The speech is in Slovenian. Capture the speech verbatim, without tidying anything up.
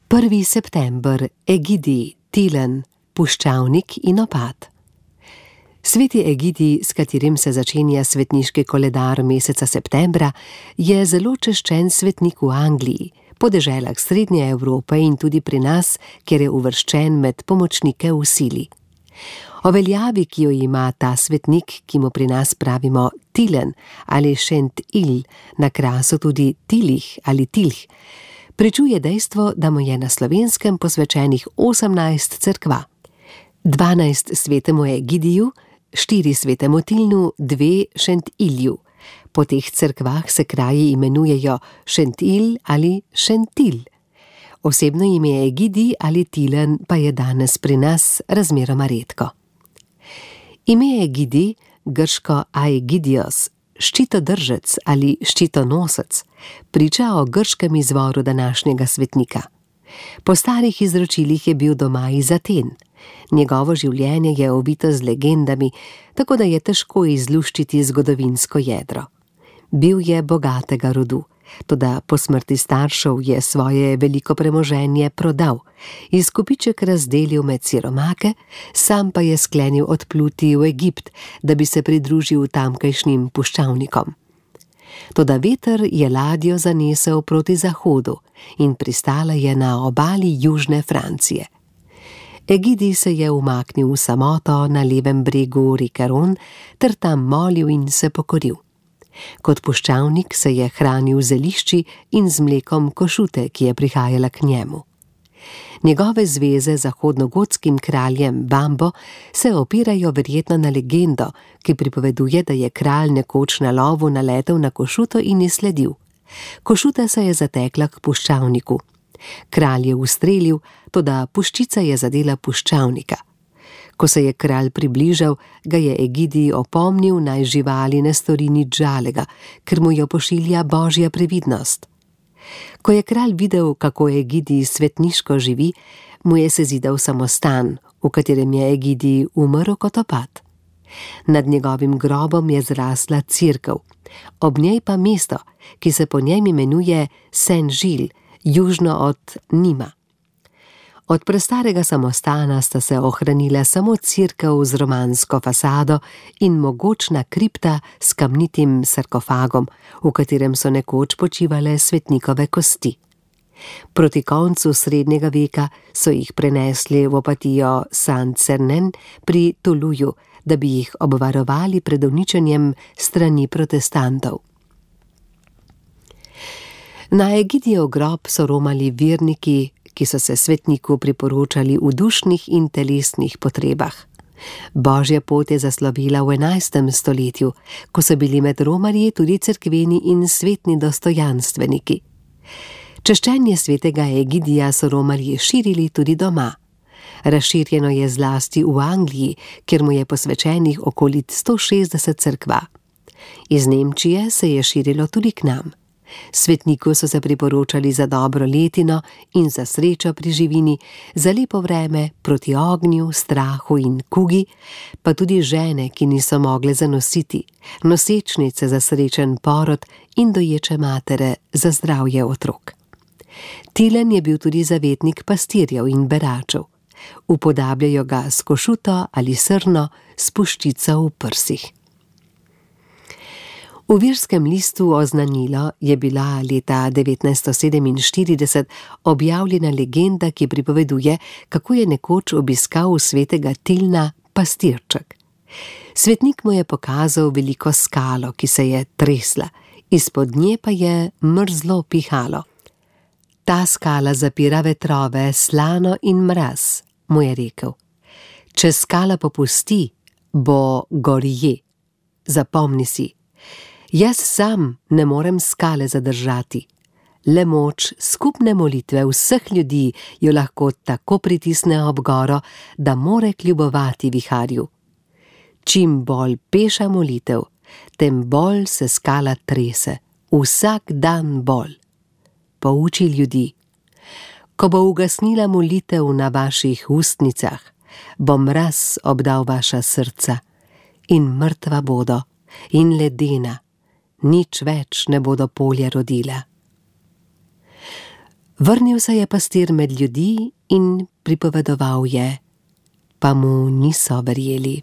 prvi september, Egidij, Tilen, puščavnik in opad. Sveti Egidij, s katerim se začenja svetniški koledar meseca septembra, je zelo češčen svetnik v Angliji, po deželah Srednje Evrope in tudi pri nas, kjer je uvrščen med pomočnike v sili. O veljavi, ki jo ima ta svetnik, ki mu pri nas pravimo Tilen ali Šent-Il, na krasu tudi Tilih ali Tilh, pričuje dejstvo, da mu je na Slovenskem posvečenih osemnajst cerkva. dvanajst svetemu Egidiju, štiri svetemu Tilnu, dve Šent-Ilju. Po teh cerkvah se kraji imenujejo Šent-Il ali Šentil. Osebno ime Egidij ali Tilen pa je danes pri nas razmeroma redko. Ime Egidij, grško Aigidios, ščitodržec ali ščitonosec, priča o grškem izvoru današnjega svetnika. Po starih izročilih je bil doma iz Aten. Njegovo življenje je ovito z legendami, tako da je težko izluščiti zgodovinsko jedro. Bil je bogatega rodu, toda po smrti staršev je svoje veliko premoženje prodal, izkupiček razdelil med siromake, sam pa je sklenil odpluti v Egipt, da bi se pridružil tamkajšnjim puščavnikom. Toda veter je ladjo zanesel proti zahodu in pristala je na obali južne Francije. Egidij se je umaknil v samoto na levem bregu reke Ron ter tam molil in se pokoril. Kot puščavnik se je hranil z zelišči in z mlekom košute, ki je prihajala k njemu. Njegove zveze z zahodnogotskim kraljem Bambo se opirajo verjetno na legendo, ki pripoveduje, da je kralj nekoč na lovu naletel na košuto in je sledil. Košuta se je zatekla k puščavniku. Kralj je ustrelil, toda puščica je zadela puščavnika. Ko se je kralj približal, ga je Egidij opomnil, naj živali ne stori nič žalega, ker mu jo pošilja božja previdnost. Ko je kralj videl, kako Egidij svetniško živi, mu je sezidal samostan, v katerem je Egidij umrl kot opad. Nad njegovim grobom je zrasla cerkev, ob njej pa mesto, ki se po njem imenuje Saint-Gilles, južno od Nima. Od prestarega samostana sta se ohranila samo cerkev z romansko fasado in mogočna kripta s kamnitim sarkofagom, v katerem so nekoč počivale svetnikove kosti. Proti koncu srednjega veka so jih prenesli v opatijo Saint-Cernin pri Tuluju, da bi jih obvarovali pred uničenjem strani protestantov. Na Egidijev grob so romali verniki, ki so se svetniku priporočali v dušnih in telesnih potrebah. Božja pot je zaslovila v enajstem stoletju, ko so bili med romarji tudi cerkveni in svetni dostojanstveniki. Češčenje svetega Egidija so romarji širili tudi doma. Razširjeno je zlasti v Angliji, kjer mu je posvečenih okoli sto šestdeset cerkva. Iz Nemčije se je širilo tudi k nam. Svetniku so se priporočali za dobro letino in za srečo pri živini, za lepo vreme, proti ognju, strahu in kugi, pa tudi žene, ki niso mogle zanositi, nosečnice za srečen porod in doječe matere za zdravje otrok. Tilen je bil tudi zavetnik pastirjev in beračev. Upodabljajo ga s košuto ali srno, s puščico v prsih. V Virskem listu Oznanilo je bila leta devetnajststo sedeminštirideset objavljena legenda, ki pripoveduje, kako je nekoč obiskal svetega Tilna pastirček. Svetnik mu je pokazal veliko skalo, ki se je tresla, izpod nje pa je mrzlo pihalo. Ta skala zapira vetrove, slano in mraz, mu je rekel. Če skala popusti, bo gorje. Zapomni si. Jaz sam ne morem skale zadržati. Le moč skupne molitve vseh ljudi jo lahko tako pritisne ob goro, da more kljubovati viharju. Čim bolj peša molitev, tem bolj se skala trese, vsak dan bolj. Pouči ljudi. Ko bo ugasnila molitev na vaših ustnicah, bo mraz obdal vaša srca in mrtva bodo in ledena. Nič več ne bodo polje rodila. Vrnil se je pastir med ljudi in pripovedoval je, pa mu niso verjeli.